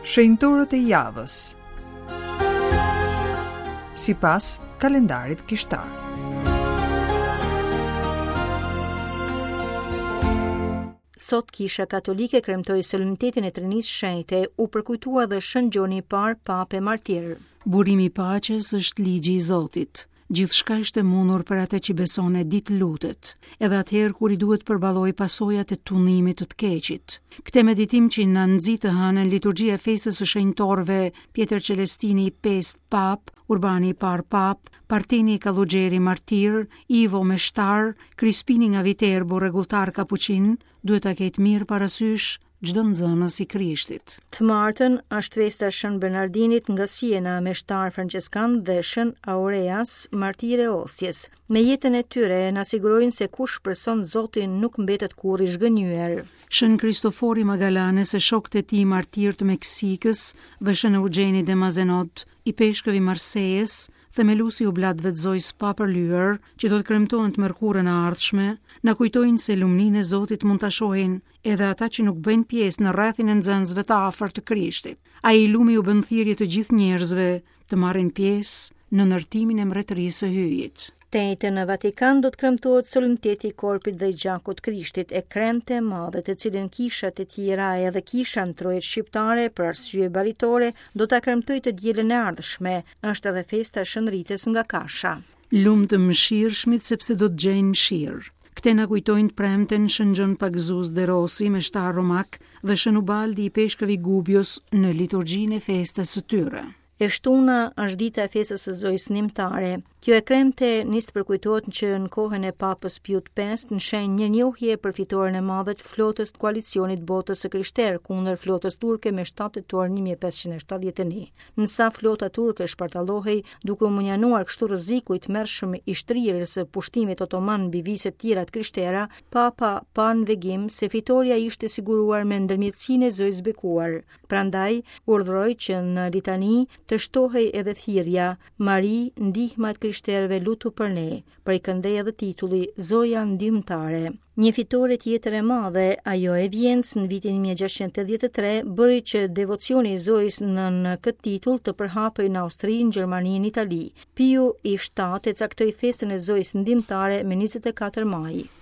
Shenjtorët e javës. Sipas kalendarit kishtar. Sot Kisha Katolike kremtoi solemnitetin e Trinisë Shenjte, u përkujtua dhe Shën Gjoni i Parë, Papë e Martir. Burimi i paqes është ligji i Zotit. Gjithçka është e mundur për atë që beson e di të lutet, edhe atëherë kur i duhet të përballojë pasojat e tundimit të të keqit. Këtë meditim që na nxit të hënën liturgjia e festës së shenjtorëve Pjetër Celestini i pestë Papë, Urbani i parë Papë, Parteni Kallugjeri martir, Ivo Meshtar, Krispini nga Viterbo rregulltar kapuçin, duhet ta ketë mirë parasysh çdo nxënës i Krishtit. Të martën është festa e Shën Bernardinit nga Siena, meshtar françeskan dhe Shën Aureas, martire e Osjes. Me jetën e tyre na sigurojnë se kush shpreson Zotin nuk mbetet kurrë i zhgënjyer. Shën Kristofori Magalanes e shokët e tij martirë të Meksikës dhe Shën Eugjeni de Mazenod, ipeshkëv i Marsejës, themeluesi i oblatëve të Zojës së Papërlyer, që do të kremtohen të mërkurën e ardhshme, na kujtojnë se lumninë e Zotit mund ta shohin edhe ata që nuk bëjnë pjesë në rrethin e nxënësve të afërt të Krishtit. Ai i lumi u bën thirrje të gjithë njerëzve të marrin pjesë në ndërtimin e mbretërisë së Hyjit. Të enjten në Vatikan do të kremtohet solemniteti i korpit dhe i gjakut të Krishtit, e kremte e madhe të cilën kishat e tjera edhe kisha në trojet shqiptare për arsye baritore do ta kremtojë të dielën e ardhshme, është edhe festa e Shën Ritës nga Kasha. Lum të mëshirshmit sepse do të gjejnë mëshirë. Këtë na kujtojnë të premten Shën Gjon Pagëzues de Rossi, meshtar romak dhe Shën Ubaldi ipeshkëv i Gubios në liturgjinë e festës së tyre. E shtuna është dita e festës së Zojës Ndihmëtare. Kjo e kremte nis të përkujtohet që në kohën e Papës Piut V në shenjë mirënjohje për fitoren e madhe të flotës të koalicionit botës së krishterë kundër flotës turke me 7 tetor 1571. Në sa flota turke shpartallohej, duke u mënjanuar kështu rreziku i tmerrshëm i shtrirjes së pushtimit otoman mbi viset tjera të krishtera, Papa pa në vegim se fitorja ishte siguruar me ndërmjetësinë e Zojës Bekuar. Prandaj, urdhëroi që në litani të shtohej edhe thirrja, Mari, ndihma e të krishterëve lutu për ne. Prej këndej edhe titulli Zoja Ndihmëtare. Një fitore tjetër e madhe, ajo e Vjenës në vitin 1683, bëri që devocioni i Zojës nën këtë titull të përhapej në Austri, në Gjermani, në Itali. Piu i 7 e caktoi festën e Zojës Ndihmëtare me 24 maj.